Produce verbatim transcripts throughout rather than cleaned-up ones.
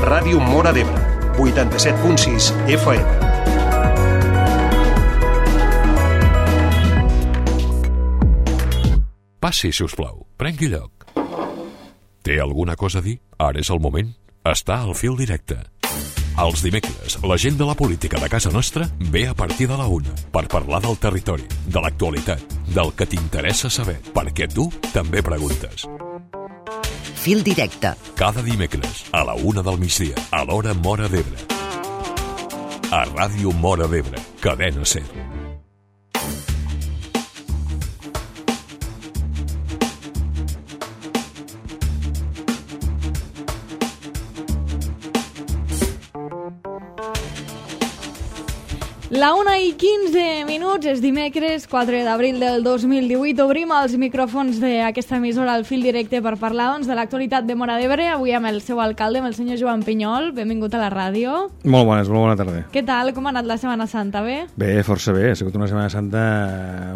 Ràdio Móra d'Ebre, vuitanta-set punt sis F M. Passi, si us plau. Prengui lloc. Té alguna cosa a dir? Ara és el moment. Està al fil directe. Els dimecres, la gent de la política de casa nostra ve a partir de la una per parlar del territori, de l'actualitat, del que t'interessa saber, perquè tu també preguntes. Fil directe. Cada dimecres, a la una del migdia, a l'hora Móra d'Ebre. A Ràdio Móra d'Ebre, Cadena Ser. La una i quinze minuts, és dimecres, quatre d'abril del dos mil divuit. Obrim els micròfons d'aquesta emissora al fil directe per parlar doncs, de l'actualitat de Móra d'Ebre. Avui amb el seu alcalde, amb el senyor Joan Pinyol. Benvingut a la ràdio. Molt bones, molt bona tarda. Què tal? Com ha anat la Setmana Santa? Bé? Bé, força bé. Ha sigut una Setmana Santa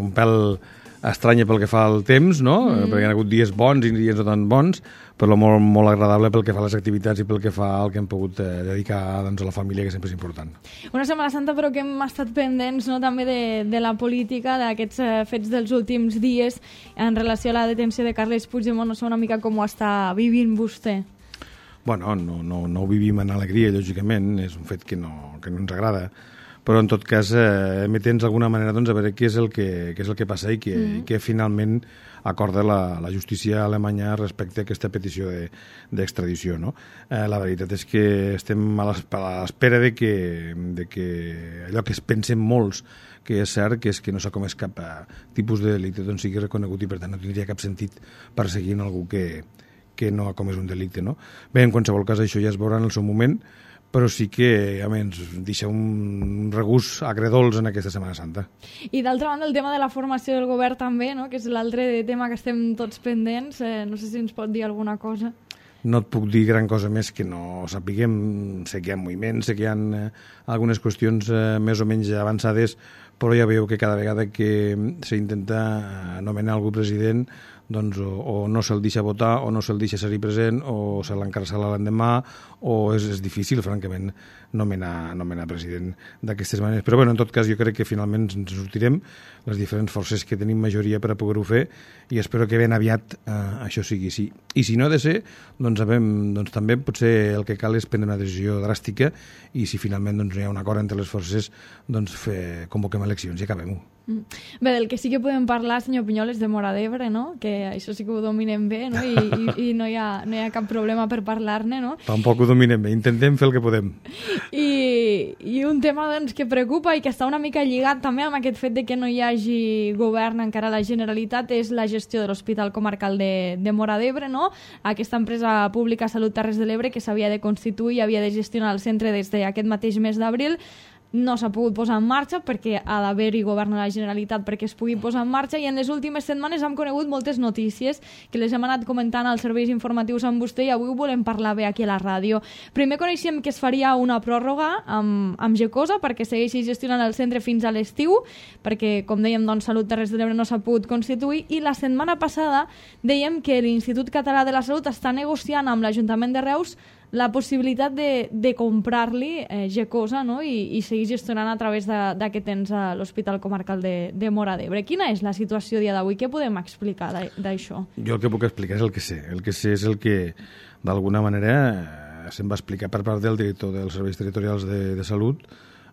un pèl estranya pel que fa al temps, no? Mm. Perquè hi ha hagut dies bons i dies no tan bons, però molt, molt agradable pel que fa a les activitats i pel que fa al que hem pogut eh, dedicar doncs, a la família, que sempre és important. Una Setmana Santa però que hem estat pendents, no?, també de, de la política, d'aquests eh, fets dels últims dies en relació a la detenció de Carles Puigdemont. No sé una mica com ho està vivint vostè. Bueno, no, no, no ho vivim en alegria, lògicament, és un fet que no, que no ens agrada, però en tot cas eh, emetents d'alguna manera doncs, a veure què és el que, què és el que passa i que, mm. i que finalment acorda la, la justícia alemanya respecte a aquesta petició d'extradició. No? Eh, la veritat és que estem a l'espera de que, de que allò que es pensen molts que és cert, que és que no s'ha comès cap tipus de delicte, doncs sigui reconegut i per tant no tindria cap sentit perseguir algú que, que no ha comès un delicte. No? Bé, en qualsevol cas això ja es veurà en el seu moment, però sí que a mi, ens deixa un regús agredolç en aquesta Setmana Santa. I d'altra banda el tema de la formació del govern també, no? Que és l'altre tema que estem tots pendents. Eh, no sé si ens pot dir alguna cosa. No et puc dir gran cosa més que no sapiguem. Sé que hi ha moviments, sé que hi ha eh, algunes qüestions eh, més o menys avançades, però ja veieu que cada vegada que s'intenta anomenar algú president doncs o, o no se'l deixa votar, o no se'l deixa ser-hi present, o se l'encarcela l'endemà, o és, és difícil, francament, nomenar, nomenar president d'aquestes maneres. Però, bueno, en tot cas, jo crec que finalment ens sortirem, les diferents forces que tenim majoria per a poder-ho fer, i espero que ben aviat eh, això sigui així. I si no ha de ser, doncs, sabem, doncs també potser el que cal és prendre una decisió dràstica, i si finalment doncs, no hi ha un acord entre les forces, doncs fer, convoquem eleccions i acabem-ho. Bé, del que sí que podem parlar, senyor Pinyol, és de Móra d'Ebre, no? Que això sí que ho dominem bé, no? I, i, i no, hi ha, no hi ha cap problema per parlar-ne, no? Tampoc ho dominem bé, intentem fer el que podem. I, i un tema doncs, que preocupa i que està una mica lligat també amb aquest fet de que no hi hagi govern encara a la Generalitat és la gestió de l'Hospital Comarcal de, de Móra d'Ebre, no? Aquesta empresa pública Salut Terres de l'Ebre que s'havia de constituir i havia de gestionar el centre des d'aquest mateix mes d'abril, no s'ha pogut posar en marxa perquè ha d'haver-hi govern a la Generalitat perquè es pugui posar en marxa, i en les últimes setmanes hem conegut moltes notícies que les hem anat comentant als serveis informatius amb vostè i avui ho volem parlar bé aquí a la ràdio. Primer coneixem que es faria una pròrroga amb, amb Gecosa perquè segueixi gestionant el centre fins a l'estiu, perquè, com dèiem, doncs, Salut Terres de l'Ebre no s'ha pogut constituir, i la setmana passada dèiem que l'Institut Català de la Salut està negociant amb l'Ajuntament de Reus la possibilitat de, de comprar-li eh, Gecosa, no? I, i seguir gestionant a través d'aquest ens a l'Hospital Comarcal de, de Móra d'Ebre. Quina és la situació a dia d'avui? Què podem explicar d'això? Jo el que puc explicar és el que sé. El que sé és el que, d'alguna manera, se'm va explicar per part del director dels serveis territorials de, de salut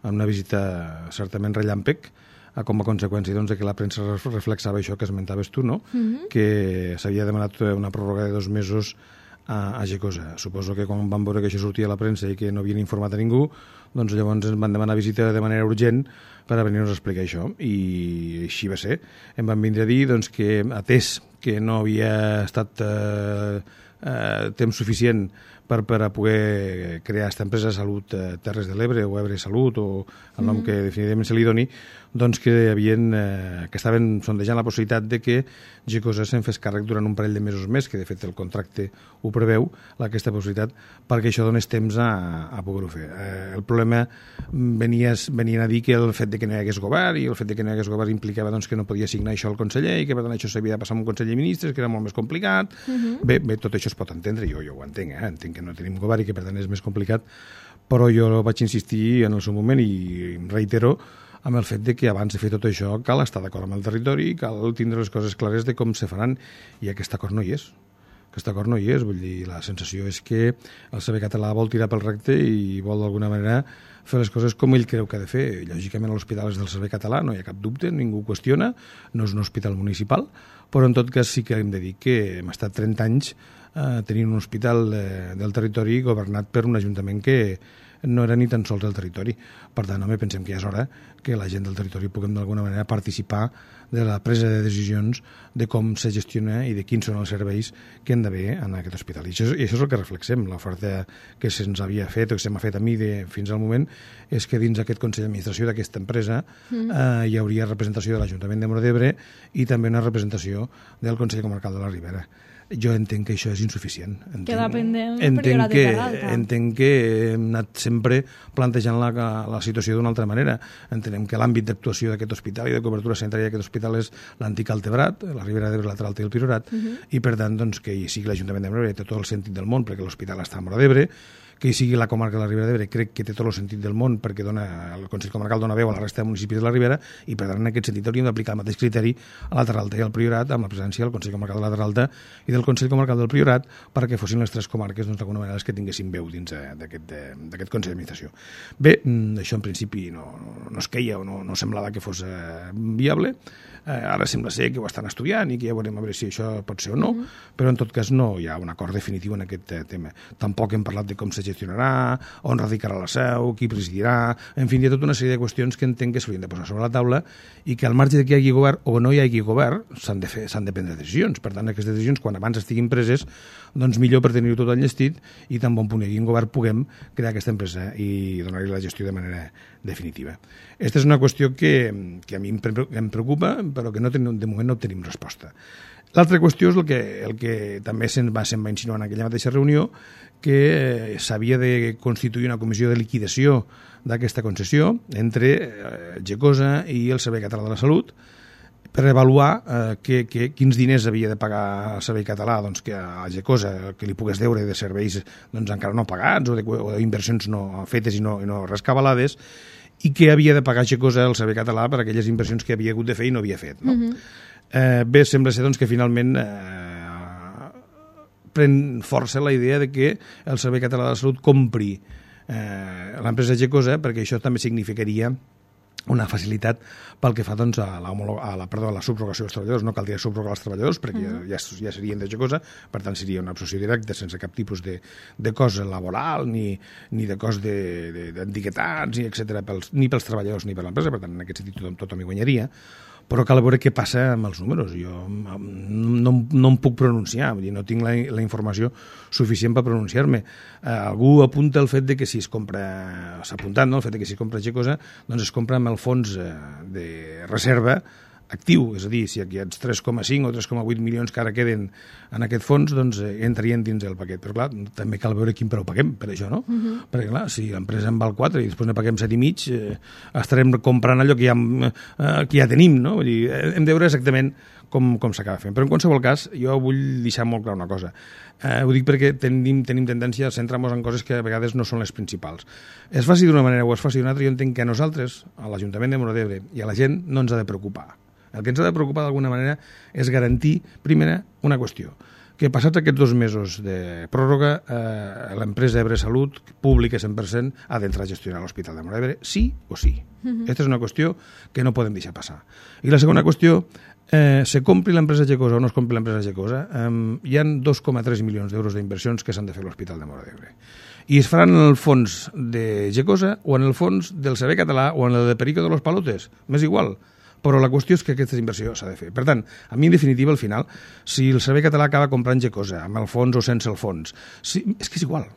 en una visita certament relàmpec, com a conseqüència doncs, que la premsa reflexava això que esmentaves tu, no? Mm-hmm. Que s'havia demanat una pròrroga de dos mesos a, a Gecosa. Suposo que quan van veure que això sortia a la premsa i que no havien informat a ningú, doncs llavors ens van demanar visita de manera urgent per a venir-nos a explicar això. I així va ser. Em van vindre a dir doncs, que, atès que no havia estat eh, eh, temps suficient per, per a poder crear aquesta empresa Salut eh, Terres de l'Ebre o Ebre Salut o el nom mm. que definitivament se li doni, doncs que, havien, eh, que estaven sondejant la possibilitat de que Gecosa se'n fes càrrec durant un parell de mesos més, que de fet el contracte ho preveu, aquesta possibilitat, perquè això donés temps a, a poder-ho fer. Eh, el problema venia, venien a dir que el fet de que no hi hagués govern i el fet de que no hi hagués govern implicava doncs, que no podia signar això el conseller i que per tant això s'havia de passar amb un conseller de ministres, que era molt més complicat. Uh-huh. Bé, bé, tot això es pot entendre, jo, jo ho entenc, eh? entenc que no tenim govern i que per tant és més complicat, però jo vaig insistir en el seu moment i em reitero amb el fet de que abans de fer tot això cal estar d'acord amb el territori, cal tindre les coses clares de com se faran, i aquest acord no hi és. Aquest acord no hi és, vull dir, la sensació és que el servei català vol tirar pel recte i vol d'alguna manera fer les coses com ell creu que ha de fer. Lògicament l'hospital és del servei català, no hi ha cap dubte, ningú qüestiona, no és un hospital municipal, però en tot cas sí que hem de dir que hem estat trenta anys eh, tenint un hospital eh, del territori governat per un ajuntament que no era ni tan sols del territori. Per tant, home, pensem que ja és hora que la gent del territori puguem d'alguna manera participar de la presa de decisions de com se gestiona i de quins són els serveis que han d'haver en aquest hospital. I això, i això és el que reflexem. L'oferta que se'ns havia fet o que se m'ha fet a mi de, fins al moment és que dins aquest Consell d'Administració d'aquesta empresa mm. eh, hi hauria representació de l'Ajuntament de Móra d'Ebre i també una representació del Consell Comarcal de la Ribera. Jo entenc que això és insuficient. Entenc, Queda pendent entenc que, entenc que hem anat sempre plantejant la, la situació d'una altra manera. Entenem que l'àmbit d'actuació d'aquest hospital i de cobertura sanitària d'aquest hospital és l'antic Altebrat, la Ribera d'Ebre, lateral té el Priorat, uh -huh. i per tant doncs, que hi sigui l'Ajuntament de Móra d'Ebre té tot el sentit del món perquè l'hospital està a Móra d'Ebre, que hi sigui la comarca de la Ribera d'Ebre crec que té tot el sentit del món perquè dona, el Consell Comarcal dona veu a la resta de municipis de la Ribera i per tant en aquest sentit hauríem d'aplicar el mateix criteri a la Terra Alta i al Priorat amb la presència del Consell Comarcal de la Terra Alta i del Consell Comarcal del Priorat perquè fossin les tres comarques doncs, d'alguna manera les que tinguessin veu dins d'aquest Consell d'Administració. Bé, això en principi no, no, no es queia o no, no semblava que fos eh, viable. Eh, ara sembla ser que ho estan estudiant i que ja veurem a veure si això pot ser o no, mm-hmm. però en tot cas no hi ha un acord definitiu en aquest eh, tema. Tampoc hem parlat de com se gestionarà, on radicarà la seu, qui presidirà, en fi, hi ha tota una sèrie de qüestions que entenc que s'haurien de posar sobre la taula i que al marge de que hi hagi govern o no hi hagi govern s'han de fer, s'han de prendre decisions. Per tant, aquestes decisions, quan abans estiguin preses, doncs millor per tenir-ho tot enllestit i tan bon punt hi hagi un govern puguem crear aquesta empresa i donar-li la gestió de manera definitiva. Aquesta és una qüestió que, que a mi em preocupa, però que no tenim, de moment no obtenim resposta. L'altra qüestió és el que, el que també se'n va, se'n va insinuar en aquella mateixa reunió, que eh, s'havia de constituir una comissió de liquidació d'aquesta concessió entre eh, Gecosa i el Servei Català de la Salut per avaluar eh, que, que, quins diners havia de pagar el Servei Català doncs, que a Gecosa que li pogués deure de serveis doncs, encara no pagats o d'inversions no fetes i no, i no rescabalades i que havia de pagar Gecosa el Servei Català per aquelles inversions que havia hagut de fer i no havia fet. No? Mm-hmm. eh, bé, sembla ser doncs, que finalment eh, pren força la idea de que el Servei Català de la Salut compri eh, l'empresa Gecosa perquè això també significaria una facilitat pel que fa doncs, a, la, a, la, perdó, a la subrogació dels treballadors. No caldria subrogar els treballadors perquè uh -huh. ja, ja serien de Gecosa, per tant seria una absorció directa sense cap tipus de, de cost laboral ni, ni de cost d'etiquetats, ni, etcètera, pels, ni pels treballadors ni per l'empresa, per tant en aquest sentit tothom, tothom hi guanyaria. Però cal veure què passa amb els números. Jo no, no em puc pronunciar, vull dir, no tinc la, la informació suficient per pronunciar-me. Eh, algú apunta el fet de que si es compra, s'ha apuntat, no?, el fet de que si es compra Gecosa, doncs es compra amb el fons eh, de reserva actiu, és a dir, si aquests tres coma cinc o tres coma vuit milions que ara queden en aquest fons, doncs eh, entrarien dins el paquet. Però clar, també cal veure quin preu paguem per això, no? Uh-huh. Perquè clar, si l'empresa en val quatre i després ne paguem set i mig, eh, estarem comprant allò que ja, eh, que ja tenim, no? Vull dir, hem de veure exactament com, com s'acaba fent. Però en qualsevol cas, jo vull deixar molt clar una cosa. Eh, ho dic perquè tenim, tenim tendència a centrar-nos en coses que a vegades no són les principals. Es faci d'una manera o es faci d'una altra, jo entenc que a nosaltres, a l'Ajuntament de Móra d'Ebre i a la gent, no ens ha de preocupar. El que ens ha de preocupar d'alguna manera és garantir, primera, una qüestió, que passats aquests dos mesos de pròrroga, eh, l'empresa Ebre Salut, pública cent per cent, ha d'entrar a gestionar l'Hospital de Móra d'Ebre, sí o sí. Uh-huh. Aquesta és una qüestió que no podem deixar passar. I la segona qüestió, eh, se compri l'empresa Gecosa o no es compri l'empresa Gecosa, eh, hi ha dos coma tres milions d'euros d'inversions que s'han de fer a l'Hospital de Móra d'Ebre. I es faran en el fons de Gecosa o en el fons del Servei Català o en el de Perico de los Palotes, m'és igual. Però la qüestió és que aquesta inversió s'ha de fer. Per tant, a mi, en definitiva, al final, si el Servei Català acaba comprant Gecosa, amb el fons o sense el fons, si, és que és igual.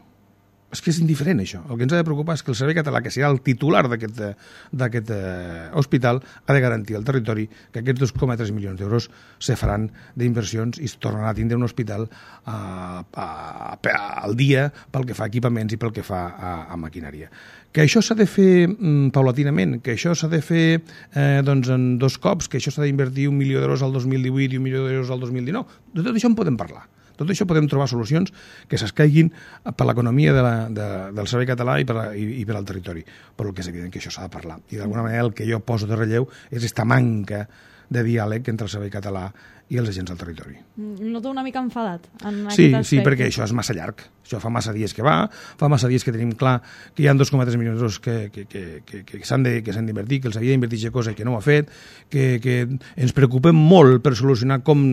És que és indiferent, això. El que ens ha de preocupar és que el Servei Català, que serà el titular d'aquest eh, hospital, ha de garantir al territori que aquests dos coma tres milions d'euros se faran d'inversions i es tornarà a tindre un hospital eh, a, a, a, al dia pel que fa a equipaments i pel que fa a, a maquinària. Que això s'ha de fer mm, paulatinament, que això s'ha de fer eh, doncs en dos cops, que això s'ha d'invertir un milió d'euros al dos mil divuit i un milió d'euros al dos mil dinou. De tot això en podem parlar. Tot això podem trobar solucions que s'escaiguin per l'economia de la, de, del servei català i per, la, i, i per al territori. Però el que és evident que això s'ha de parlar. I d'alguna manera el que jo poso de relleu és esta manca de diàleg entre el servei català i els agents del territori. Noto una mica enfadat en sí, aquest aspecte. Sí, perquè això és massa llarg. Això fa massa dies que va, fa massa dies que tenim clar que hi ha dos coma tres milions d'euros que, que, que, que, que s'han d'invertir, que els havia d'invertir aquesta cosa i que no ho ha fet, que, que ens preocupem molt per solucionar com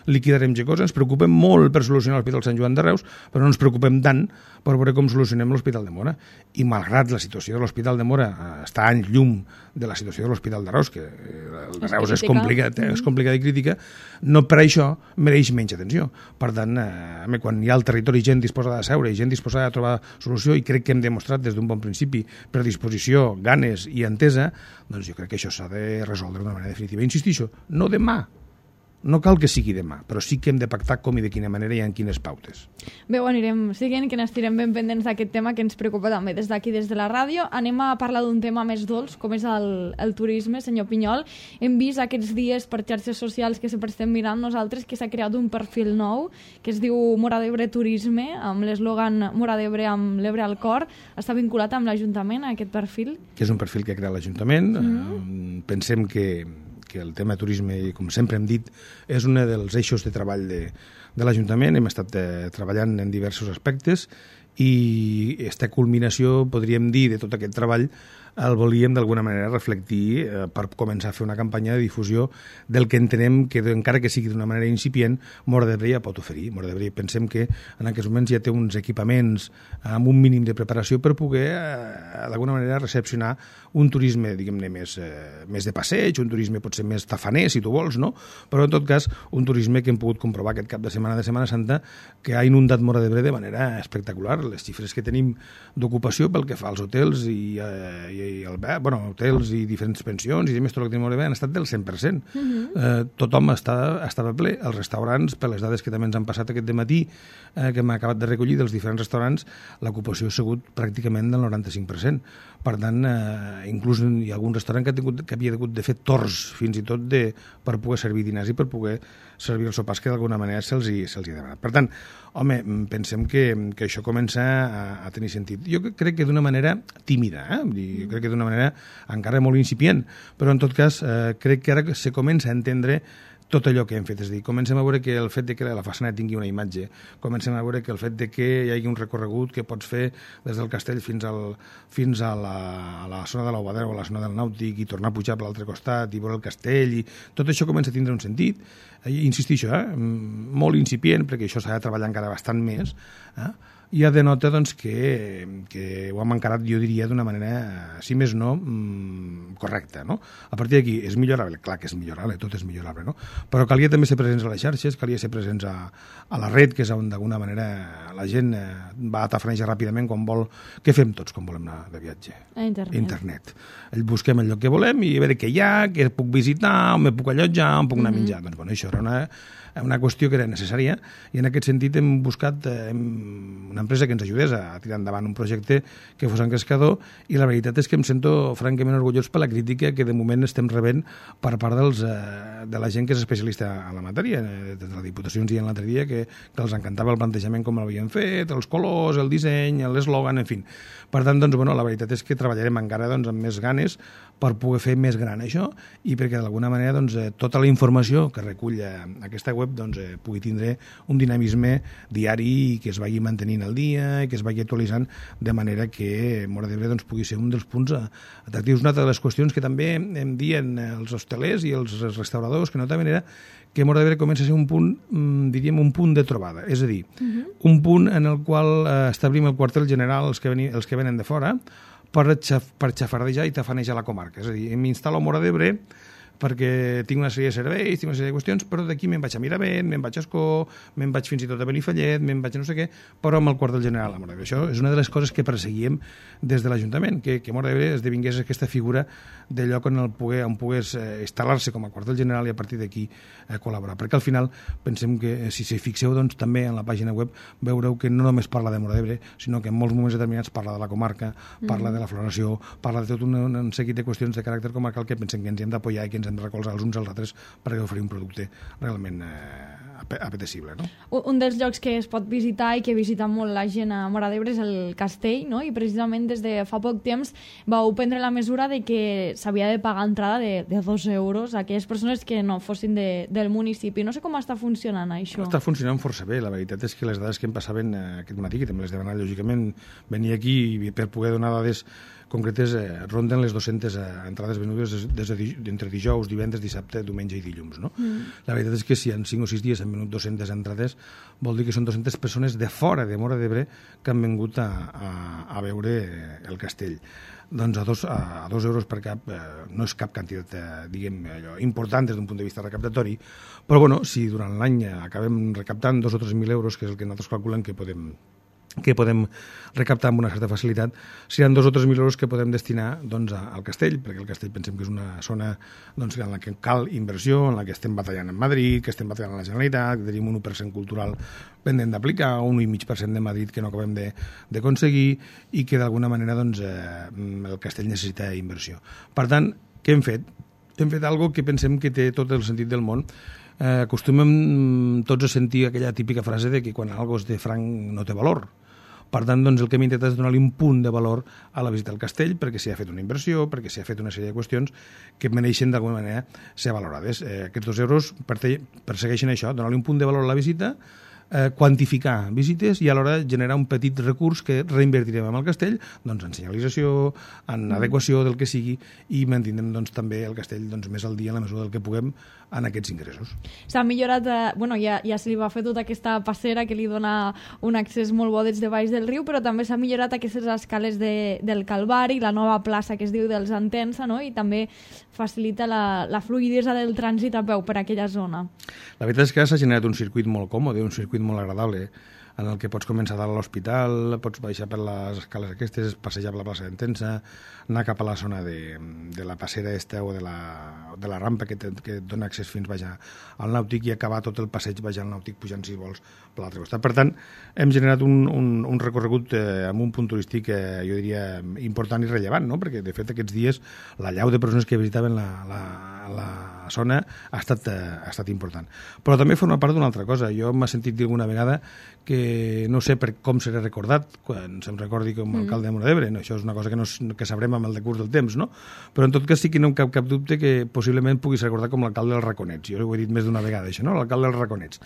liquidarem aquesta cosa, ens preocupem molt per solucionar l'Hospital Sant Joan de Reus, però no ens preocupem tant per veure com solucionem l'Hospital de Móra. I malgrat la situació de l'Hospital de Móra està en llum de la situació de l'Hospital de Reus, que el de Reus és complicat, és complicat i crítica, no per això mereix menys atenció. Per tant, eh, quan hi ha al territori gent disposada a seure i gent disposada a trobar solució, i crec que hem demostrat des d'un bon principi predisposició, ganes i entesa, doncs jo crec que això s'ha de resoldre d'una manera definitiva. Insistixo, no demà, no cal que sigui demà, però sí que hem de pactar com i de quina manera i en quines pautes. Bé, ho anirem seguint, que n'estirem ben pendents d'aquest tema que ens preocupa també des d'aquí, des de la ràdio. Anem a parlar d'un tema més dolç, com és el, el turisme, senyor Pinyol. Hem vist aquests dies per xarxes socials que sempre estem mirant nosaltres que s'ha creat un perfil nou que es diu Móra d'Ebre Turisme, amb l'eslògan Móra d'Ebre amb l'Ebre al cor. Està vinculat amb l'Ajuntament, aquest perfil? Que és un perfil que ha creat l'Ajuntament. Mm-hmm. Pensem que que el tema turisme, com sempre hem dit, és un dels eixos de treball de, de l'Ajuntament. Hem estat eh, treballant en diversos aspectes i aquesta culminació, podríem dir, de tot aquest treball el volíem d'alguna manera reflectir eh, per començar a fer una campanya de difusió del que entenem que, encara que sigui d'una manera incipient, Móra d'Ebre ja pot oferir. Móra d'Ebre pensem que en aquests moments ja té uns equipaments amb un mínim de preparació per poder eh, d'alguna manera recepcionar un turisme, diguem-ne, més, eh, més de passeig, un turisme potser més tafaner, si tu vols, no? Però en tot cas, un turisme que hem pogut comprovar aquest cap de setmana de Setmana Santa que ha inundat Móra d'Ebre de manera espectacular. Les xifres que tenim d'ocupació pel que fa als hotels i, eh, i i el, bueno, hotels i diferents pensions i més, tot el que tenim han estat del cent per cent. Uh-huh. eh, tothom està, estava ple. Els restaurants, per les dades que també ens han passat aquest dematí, eh, que hem acabat de recollir dels diferents restaurants, l'ocupació ha sigut pràcticament del noranta-cinc per cent. Per tant, eh, inclús hi ha algun restaurant que, ha tingut, que havia hagut de fer torns fins i tot de, per poder servir dinars i per poder servir els sopars que d'alguna manera se'ls hi, se'ls hi ha demanat. Per tant, home, pensem que, que això comença a, a tenir sentit. Jo crec que d'una manera tímida, eh? Jo crec que d'una manera encara molt incipient, però en tot cas eh, crec que ara se comença a entendre tot allò que hem fet, és a dir, comencem a veure que el fet de que la façana tingui una imatge, comencem a veure que el fet de que hi hagi un recorregut que pots fer des del castell fins, al, fins a, la, a la zona de l'Aubadera o a la zona del Nàutic i tornar a pujar per l'altre costat i veure el castell, i tot això comença a tindre un sentit. Eh, insistixo, eh, molt incipient, perquè això s'ha de treballar encara bastant més, eh? Ja denota doncs, que, que ho hem encarat, jo diria, d'una manera, si més no, mmm, correcta. No? A partir d'aquí, és millorable? Clar que és millorable, tot és millorable, no? Però calia també ser presents a les xarxes, calia ser presents a, a la red, que és on d'alguna manera la gent eh, va a tafanejar ràpidament quan vol... Què fem tots quan volem anar de viatge? A internet. Internet. El busquem el lloc que volem i a veure què hi ha, què puc visitar, on me puc allotjar, on puc anar a menjar. Mm-hmm. Doncs bueno, això era una... una qüestió que era necessària i en aquest sentit hem buscat eh, una empresa que ens ajudés a tirar endavant un projecte que fos engrescador i la veritat és que em sento francament orgullós per la crítica que de moment estem rebent per part dels, eh, de la gent que és especialista en la matèria. De la Diputació ens deien l'altre dia que, que els encantava el plantejament com l'havien fet, els colors, el disseny, l'eslògan, en fi. Per tant, doncs, bueno, la veritat és que treballarem encara doncs, amb més ganes per poder fer més gran això i perquè d'alguna manera doncs, eh, tota la informació que recull eh, aquesta web doncs, eh, pugui tindre un dinamisme diari i que es vagi mantenint al dia i que es vagi actualitzant de manera que Móra d'Ebre doncs, pugui ser un dels punts atractius. Una altra de les qüestions que també em dien els hostelers i els restauradors que notaven era que Móra d'Ebre comença a ser un punt, diríem, un punt de trobada. És a dir, uh-huh. un punt en el qual eh, establim el quartel general els que, veni, els que venen de fora per, xaf, per xafardejar i tafanejar la comarca. És a dir, m'instal·lo a Móra d'Ebre perquè tinc una sèrie de serveis, tinc una sèrie de qüestions, però d'aquí me'n vaig a Miravent, me'n vaig a Escó, me'n vaig fins i tot a Benifallet, me'n vaig a no sé què, però amb el quartel general a Móra d'Ebre. Això és una de les coses que perseguíem des de l'Ajuntament, que, que Móra d'Ebre esdevingués aquesta figura de lloc on, el pogués, on pogués eh, instal·lar-se com a quartel general i a partir d'aquí eh, col·laborar. Perquè al final pensem que, si s'hi fixeu doncs, també en la pàgina web, veureu que no només parla de Móra d'Ebre, sinó que en molts moments determinats parla de la comarca, parla mm. de la floració, parla de tot un, un seguit de qüestions de caràcter comarcal que pensem que ens hem d'apoyar i que ens ens hem de recolzar els uns als altres per oferir un producte realment eh, apetecible. No? Un dels llocs que es pot visitar i que visita molt la gent a Móra d'Ebre és el castell, no? I precisament des de fa poc temps vau prendre la mesura de que s'havia de pagar entrada de, de dos euros a aquelles persones que no fossin de, del municipi. No sé com està funcionant això. Està funcionant força bé. La veritat és que les dades que em passaven aquest matí, que també les deuen anar, lògicament, venir aquí i per poder donar dades concretes eh, ronden les dues-centes eh, entrades venudes des, des de, entre dijous, divendres, dissabte, diumenge i dilluns. No? Mm. La veritat és que si en cinc o sis dies han venut dues-centes entrades, vol dir que són dues-centes persones de fora de Móra d'Ebre que han vingut a, a, a veure el castell. Doncs a dos, a dos euros per cap eh, no és cap quantitat eh, diguem, allò, important des d'un punt de vista recaptatori, però bueno, si durant l'any acabem recaptant dos o tres mil euros, que és el que nosaltres calculem que podem que podem recaptar amb una certa facilitat, seran dos o tres mil euros que podem destinar doncs, al castell, perquè el castell pensem que és una zona doncs, en la que cal inversió, en la que estem batallant en Madrid, que estem batallant a la Generalitat, que tenim un u per cent cultural pendent d'aplicar, un u coma cinc per cent de Madrid que no acabem d'aconseguir i que d'alguna manera doncs, eh, el castell necessita inversió. Per tant, què hem fet? Hem fet alguna que pensem que té tot el sentit del món. Eh, acostumem tots a sentir aquella típica frase de que quan algo és de franc no té valor. Per tant, doncs, el que hem intentat és donar-li un punt de valor a la visita al castell, perquè s'hi ha fet una inversió, perquè s'hi ha fet una sèrie de qüestions que mereixen d'alguna manera ser valorades. Eh, aquests dos euros persegueixen això, donar-li un punt de valor a la visita, eh, quantificar visites i alhora generar un petit recurs que reinvertirem en el castell doncs, en senyalització, en adequació del que sigui i mantindrem doncs, també el castell doncs, més al dia en la mesura del que puguem en aquests ingressos. S'ha millorat, eh, bueno, ja, ja se li va fer tota aquesta passera que li dona un accés molt bo des de baix del riu, però també s'ha millorat aquestes escales de, del Calvari, la nova plaça que es diu dels Entença, no? I també facilita la, la fluïdesa del trànsit a peu per aquella zona. La veritat és que s'ha generat un circuit molt còmode, un circuit molt agradable, en el que pots començar dalt a l'hospital, pots baixar per les escales aquestes, passejar per la plaça d'Entença, anar cap a la zona de, de la passera esta o de la, de la rampa que, te, que et dona accés fins baixar al nàutic i acabar tot el passeig baixant al nàutic pujant, si vols, per l'altre costat. Per tant, hem generat un, un, un recorregut eh, amb un punt turístic, eh, jo diria, important i rellevant, no? Perquè, de fet, aquests dies la llau de persones que visitaven la, la, la zona ha estat, eh, ha estat important. Però també forma part d'una altra cosa. Jo m'he sentit dir alguna vegada que no sé per com seré recordat quan se'm recordi com a alcalde de Móra d'Ebre. No, això és una cosa que, no, que sabrem amb el decurs del temps, no? Però en tot cas sí que no em cap cap dubte que possiblement puguis recordar com l'alcalde dels Raconets. Jo ho he dit més d'una vegada, això, no? L'alcalde dels Raconets.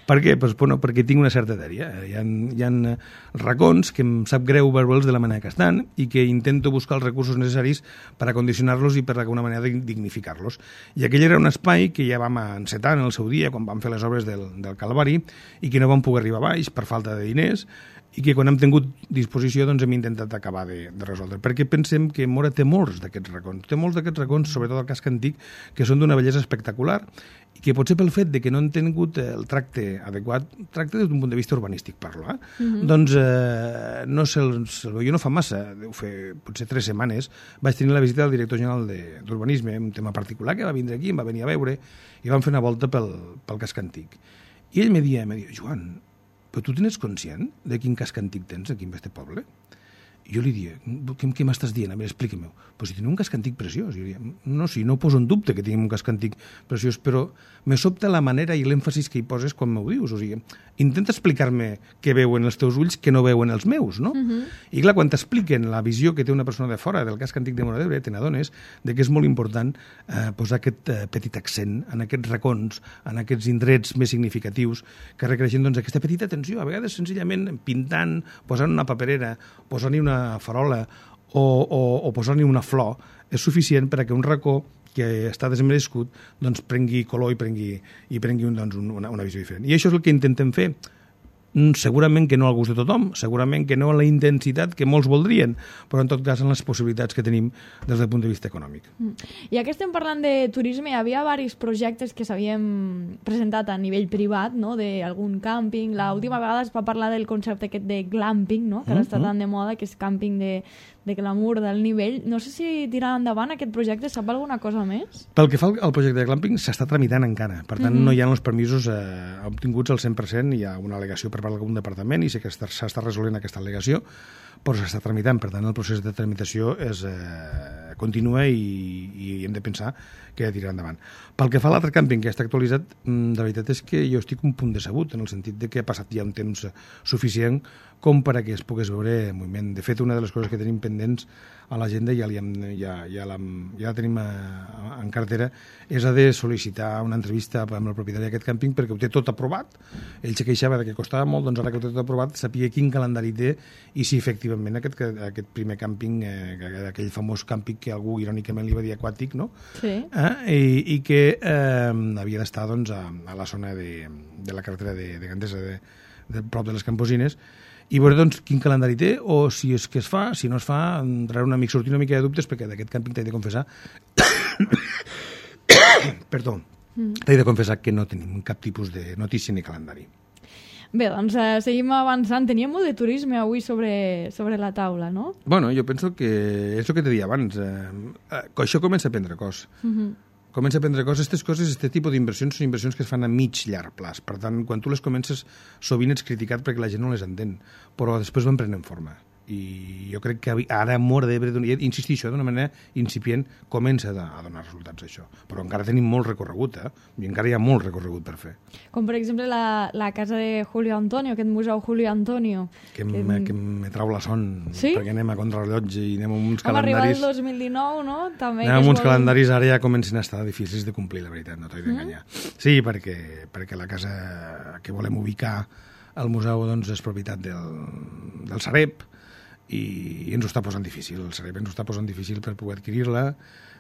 Per què? Pues, bueno, perquè tinc una certa dèria. Hi ha, hi ha racons que em sap greu veure'ls de la manera que estan i que intento buscar els recursos necessaris per acondicionar-los i per d'alguna manera dignificar-los. I aquell era un espai que ja vam encetar en el seu dia, quan vam fer les obres del, del Calvari, i que no vam poder arribar a baix per falta de diners, i que quan hem tingut disposició doncs hem intentat acabar de, de resoldre, perquè pensem que Móra té molts d'aquests racons, té molts d'aquests racons, sobretot el casc antic, que són d'una bellesa espectacular i que potser pel fet de que no han tingut el tracte adequat, tracte des d'un punt de vista urbanístic, parlo, eh? Mm-hmm. doncs eh, no se'l se veu, jo no fa massa, deu fer potser tres setmanes, vaig tenir la visita del director general d'Urbanisme, un tema particular que va vindre aquí, em va venir a veure i vam fer una volta pel, pel casc antic. I ell me dia, me dia, Joan, però tu tens conscient de quin casc antic tens aquí en este poble? I jo li dia, què, què m'estàs dient? A veure, explica-m'ho. Però si tenim un casc antic preciós. Jo diria, no, sí, no poso en dubte que tinguem un casc antic preciós, però me sobta la manera i l'èmfasis que hi poses quan m'ho dius. O sigui, intenta explicar-me què veuen els teus ulls que no veuen els meus, no? Uh-huh. I clar, quan t'expliquen la visió que té una persona de fora del casc antic de Móra d'Ebre, te n'adones de que és molt important eh, posar aquest eh, petit accent en aquests racons, en aquests indrets més significatius que requereixen doncs, aquesta petita atenció. A vegades, senzillament, pintant, posant una paperera, posant-hi una farola o, o, o posar-hi una flor és suficient per a que un racó que està desmerescut doncs prengui color i prengui, i prengui un, doncs, una, una visió diferent. I això és el que intentem fer. Segurament que no al gust de tothom, segurament que no a la intensitat que molts voldrien, però en tot cas en les possibilitats que tenim des del punt de vista econòmic. I ja que estem parlant de turisme, hi havia diversos projectes que s'havien presentat a nivell privat, no? D'algun càmping. L'última vegada es va parlar del concepte aquest de glamping, no? Que ara està tan de moda, que és càmping de, de glamour, del nivell. No sé si tirar endavant aquest projecte, sap alguna cosa més? Pel que fa al projecte de glamping, s'està tramitant encara. Per tant, mm-hmm. no hi ha els permisos eh, obtinguts al cent per cent, hi ha una al·legació per part d'algun departament i sé que s'està resolent aquesta al·legació, però s'està tramitant, per tant el procés de tramitació és, eh, continua i, i hem de pensar que ha de tirar endavant. Pel que fa a l'altre càmping que ja està actualitzat, de veritat és que jo estic un punt decebut, en el sentit de que ha passat ja un temps suficient com per a que es pogués veure moviment. De fet, una de les coses que tenim pendents a l'agenda, ja, ja, ja, ja, la, ja la tenim a, a, en cartera, és a de sol·licitar una entrevista amb el propietari d'aquest càmping perquè ho té tot aprovat. Ell se queixava de que costava molt, doncs ara que ho té tot aprovat, sapia quin calendari té i si efectivament aquest, aquest primer càmping, eh, aquell famós càmping que algú irònicament li va dir aquàtic, no? Sí. Eh? I, i que eh, havia d'estar doncs, a, a la zona de, de la carretera de, de Gandesa, de, de prop de les Camposines, i veure doncs, quin calendari té o si és que es fa, si no es fa, entrar un amic, sortir una mica de dubtes, perquè d'aquest càmping t'he de confessar perdó, mm. t'he de confessar que no tenim cap tipus de notícia ni calendari. Bé, doncs eh, seguim avançant. Teníem molt de turisme avui sobre, sobre la taula, no? Bueno, jo penso que és el que te deia abans, eh, eh, això comença a prendre cos. Mm-hmm. Comença a prendre coses, aquestes coses, aquest tipus d'inversions són inversions que es fan a mig llarg plaç. Per tant, quan tu les comences, sovint ets criticat perquè la gent no les entén, però després van prenent forma. I jo crec que ara Móra d'Ebre, insistixo, d'una manera incipient, comença a donar resultats això. Però encara tenim molt recorregut, eh? I encara hi ha molt recorregut per fer. Com, per exemple, la, la casa de Julio Antonio, aquest museu Julio Antonio. Que, que... Me, que me trau la son, sí? Perquè anem a contrarrellotge i anem amb uns Vam calendaris... arribar el dos mil dinou, no? També anem amb uns vol... calendaris ara ja comencen a estar difícils de complir, la veritat, no t'he d'enganyar. Mm. Sí, perquè, perquè la casa que volem ubicar al museu doncs, és propietat del, del Sareb, i ens ho està posant difícil, el Sareb ens ho està posant difícil per poder adquirir-la,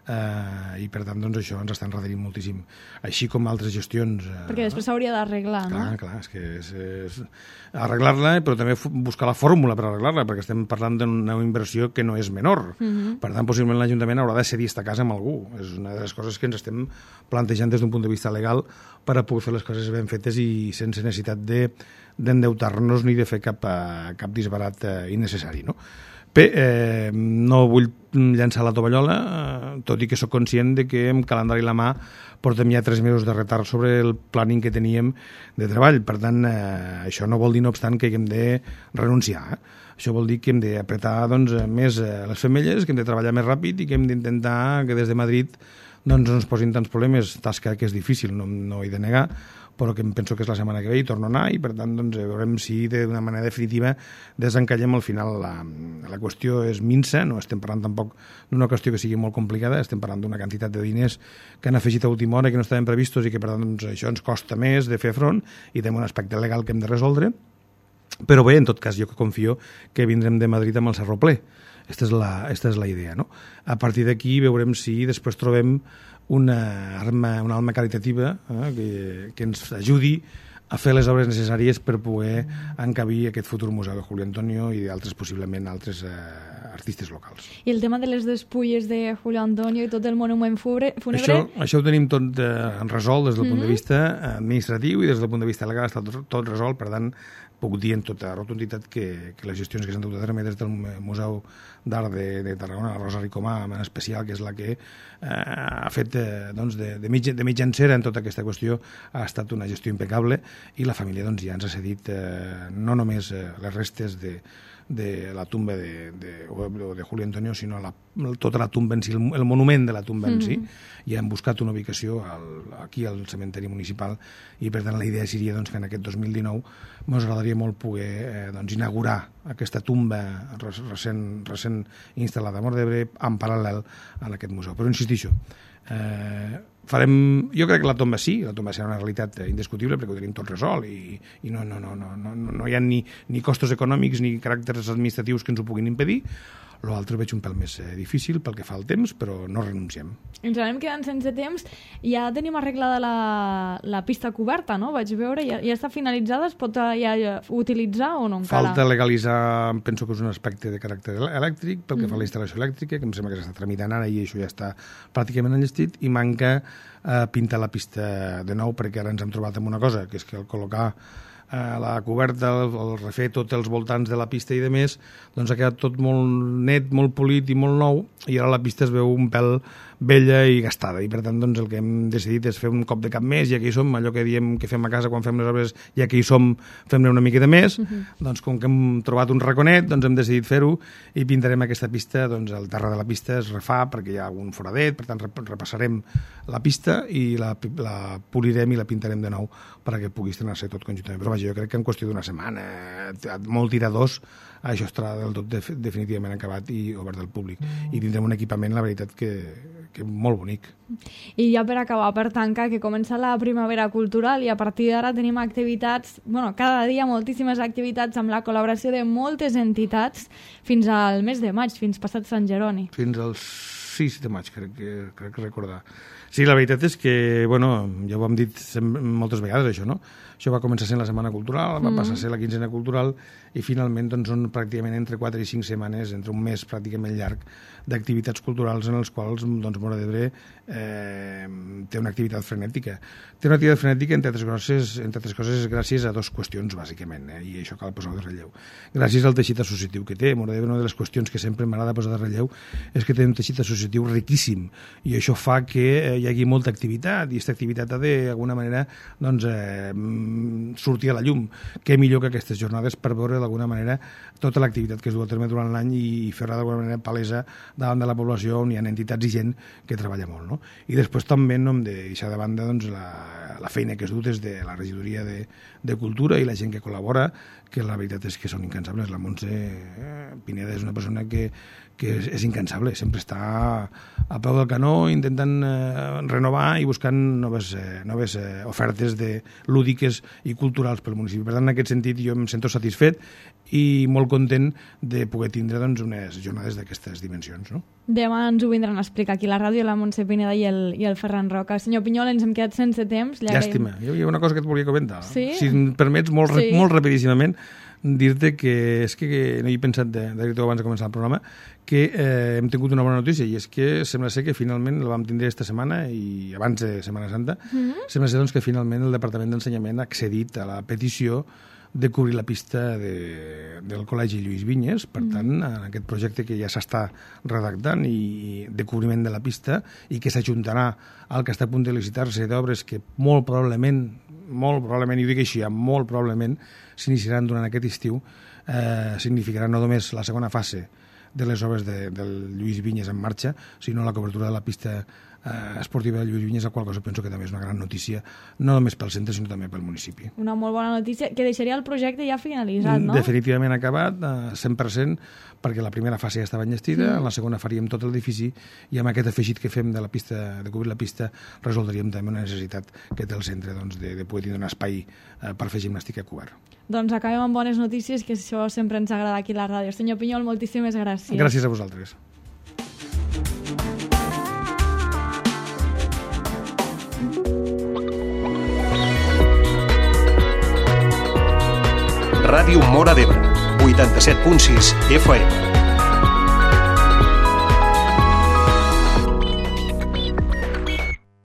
eh, i per tant doncs, això ens està enredarint moltíssim, així com altres gestions. Eh, perquè després s'hauria d'arreglar, no? Clar, clar, és que és, és arreglar-la, però també buscar la fórmula per arreglar-la, perquè estem parlant d'una inversió que no és menor. Uh-huh. Per tant, possiblement l'Ajuntament haurà de cedir aquesta casa amb algú. És una de les coses que ens estem plantejant des d'un punt de vista legal per a poder fer les coses ben fetes i sense necessitat de d'endeutar-nos ni de fer cap, cap disbarat eh, innecessari, no? Bé, eh, no vull llançar la tovallola, eh, tot i que sóc conscient de que amb calendari a la mà portem ja tres mesos de retard sobre el planning que teníem de treball. Per tant, eh, això no vol dir, no obstant, que hem de renunciar. Eh? Això vol dir que hem d'apretar doncs, més eh, les femelles, que hem de treballar més ràpid i que hem d'intentar que des de Madrid doncs, no ens posin tants problemes, tasca que és difícil, no, no he de negar, però que em penso que és la setmana que ve i torno a anar i per tant doncs, veurem si d'una manera definitiva desencallem al final la, la qüestió és minsa, no estem parlant tampoc d'una qüestió que sigui molt complicada, estem parlant d'una quantitat de diners que han afegit a última hora i que no estaven previstos i que per tant doncs, això ens costa més de fer front i tenim un aspecte legal que hem de resoldre, però bé, en tot cas jo que confio que vindrem de Madrid amb el Cerro ple. Aquesta és la, esta és la idea, no? A partir d'aquí veurem si després trobem una arma, una alma caritativa eh, que, que ens ajudi a fer les obres necessàries per poder encabir aquest futur museu de Julio Antonio i d'altres, possiblement, altres eh, artistes locals. I el tema de les despulles de Julio Antonio i tot el monument fúnebre... Això, això ho tenim tot eh, resolt des del mm-hmm. punt de vista administratiu i des del punt de vista legal està tot, tot resolt, per tant, puc dir en tota rotunditat que, que les gestions que s'han dut a terme des del Museu d'Art de, de Tarragona, la Rosa Ricomà en especial, que és la que eh, ha fet eh, doncs de, de, mig, de mitjancera en tota aquesta qüestió, ha estat una gestió impecable i la família doncs, ja ens ha cedit eh, no només eh, les restes de, de la tumba de, de, de Julio Antonio, sinó la, tota la tumba en si, el, el monument de la tumba en si, mm-hmm. i hem buscat una ubicació al, aquí al cementeri municipal i per tant la idea seria doncs, que en aquest dos mil dinou ens agradaria molt poder eh, doncs, inaugurar aquesta tumba recent, recent instal·lada a Móra d'Ebre en paral·lel a aquest museu. Però insistixo, eh, farem, jo crec que la tomba sí, la tomba serà una realitat indiscutible perquè ho tenim tot resolt i, i no, no, no, no, no, no hi ha ni, ni costos econòmics ni caràcters administratius que ens ho puguin impedir. L'altre veig un pèl més eh, difícil pel que fa al temps, però no renunciem. Ens anem quedant sense temps. Ja tenim arreglada la, la pista coberta, no? Vaig veure, ja, ja està finalitzada, es pot ja utilitzar o no encara? Falta legalitzar, penso que és un aspecte de caràcter elèctric, pel que mm. fa a la instal·lació elèctrica, que em sembla que s'està tramitant ara i això ja està pràcticament enllestit, i manca eh, pintar la pista de nou, perquè ara ens hem trobat amb una cosa, que és que al col·locar eh, la coberta, el, el refer tots els voltants de la pista i de més, doncs ha quedat tot molt net, molt polit i molt nou, i ara la pista es veu un pèl vella i gastada, i per tant doncs, el que hem decidit és fer un cop de cap més, ja que hi som, allò que diem que fem a casa quan fem les obres, ja que hi som, fem-ne una miqueta més, uh -huh. doncs com que hem trobat un raconet, doncs hem decidit fer-ho i pintarem aquesta pista, doncs el terra de la pista es refà perquè hi ha un foradet, per tant repassarem la pista i la, la polirem i la pintarem de nou perquè pugui estrenar-se tot conjuntament. Però vaja, jo crec que en qüestió d'una setmana, molt tiradors, això estarà del tot def definitivament acabat i obert al públic. I tindrem un equipament, la veritat, que, que molt bonic. I ja per acabar, per tancar, que comença la primavera cultural i a partir d'ara tenim activitats, bueno, cada dia moltíssimes activitats amb la col·laboració de moltes entitats fins al mes de maig, fins passat Sant Jeroni. Fins al sis de maig, crec que, crec que recordar. Sí, la veritat és que, bueno, ja ho hem dit moltes vegades, això, no? Això va començar sent la Setmana Cultural, va mm. passar a ser la Quinzena Cultural i finalment doncs, són pràcticament entre quatre i cinc setmanes, entre un mes pràcticament llarg, d'activitats culturals en els quals doncs, Móra d'Ebre eh, té una activitat frenètica. Té una activitat frenètica, entre altres coses, entre altres coses gràcies a dues qüestions, bàsicament, eh, i això cal posar de relleu. Gràcies al teixit associatiu que té. Móra d'Ebre, una de les qüestions que sempre m'agrada posar de relleu és que té un teixit associatiu riquíssim i això fa que hi hagi molta activitat i aquesta activitat ha de, d'alguna manera, doncs, eh, sortir a la llum. Què millor que aquestes jornades per veure d'alguna manera tota l'activitat que es du a terme durant l'any i fer-la d'alguna manera palesa davant de la població on hi ha entitats i gent que treballa molt, no? I després també no hem de deixar de banda doncs, la, la feina que es du des de la regidoria de, de Cultura i la gent que col·labora, que la veritat és que són incansables. La Montse eh, Pineda és una persona que, que és, és incansable, sempre està a peu del canó intentant eh, renovar i buscant noves, eh, noves eh, ofertes de lúdiques i culturals pel municipi. Per tant, en aquest sentit, jo em sento satisfet i molt content de poder tindre doncs, unes jornades d'aquestes dimensions. No? Demà ens ho vindran a explicar aquí a la ràdio, la Montse Pineda i el, i el Ferran Roca. Senyor Pinyol, ens hem quedat sense temps. Llàstima. Hi havia una cosa que et volia comentar. Sí? Si em permets, molt, sí. molt rapidíssimament, dir-te que és que, que no hi he pensat de, de dir-te abans de començar el programa, que eh, hem tingut una bona notícia i és que sembla ser que finalment la vam tindre aquesta setmana i abans de Setmana Santa, mm-hmm. sembla ser doncs, que finalment el Departament d'Ensenyament ha accedit a la petició de cobrir la pista de, del Col·legi Lluís Vinyes. Per tant, en aquest projecte que ja s'està redactant i de cobriment de la pista i que s'ajuntarà al que està a punt de licitar-se d'obres que molt probablement, molt probablement, i ho dic així, molt probablement s'iniciaran durant aquest estiu, eh, significarà no només la segona fase de les obres de, del Lluís Vinyes en marxa, sinó la cobertura de la pista eh, esportiva de Lluís Vinyes, la qual cosa penso que també és una gran notícia, no només pel centre, sinó també pel municipi. Una molt bona notícia, que deixaria el projecte ja finalitzat, no? Definitivament acabat, eh, cent per cent, perquè la primera fase ja estava enllestida, mm. en la segona faríem tot l'edifici, i amb aquest afegit que fem de la pista, de cobrir la pista, resoldríem també una necessitat que té el centre doncs, de, de poder tindre un espai eh, per fer gimnàstica cobert. Doncs acabem amb bones notícies, que això sempre ens agrada aquí a la ràdio. Senyor Pinyol, moltíssimes gràcies. Gràcies a vosaltres. Ràdio Móra d'Ebre, vuitanta-set punt sis F M.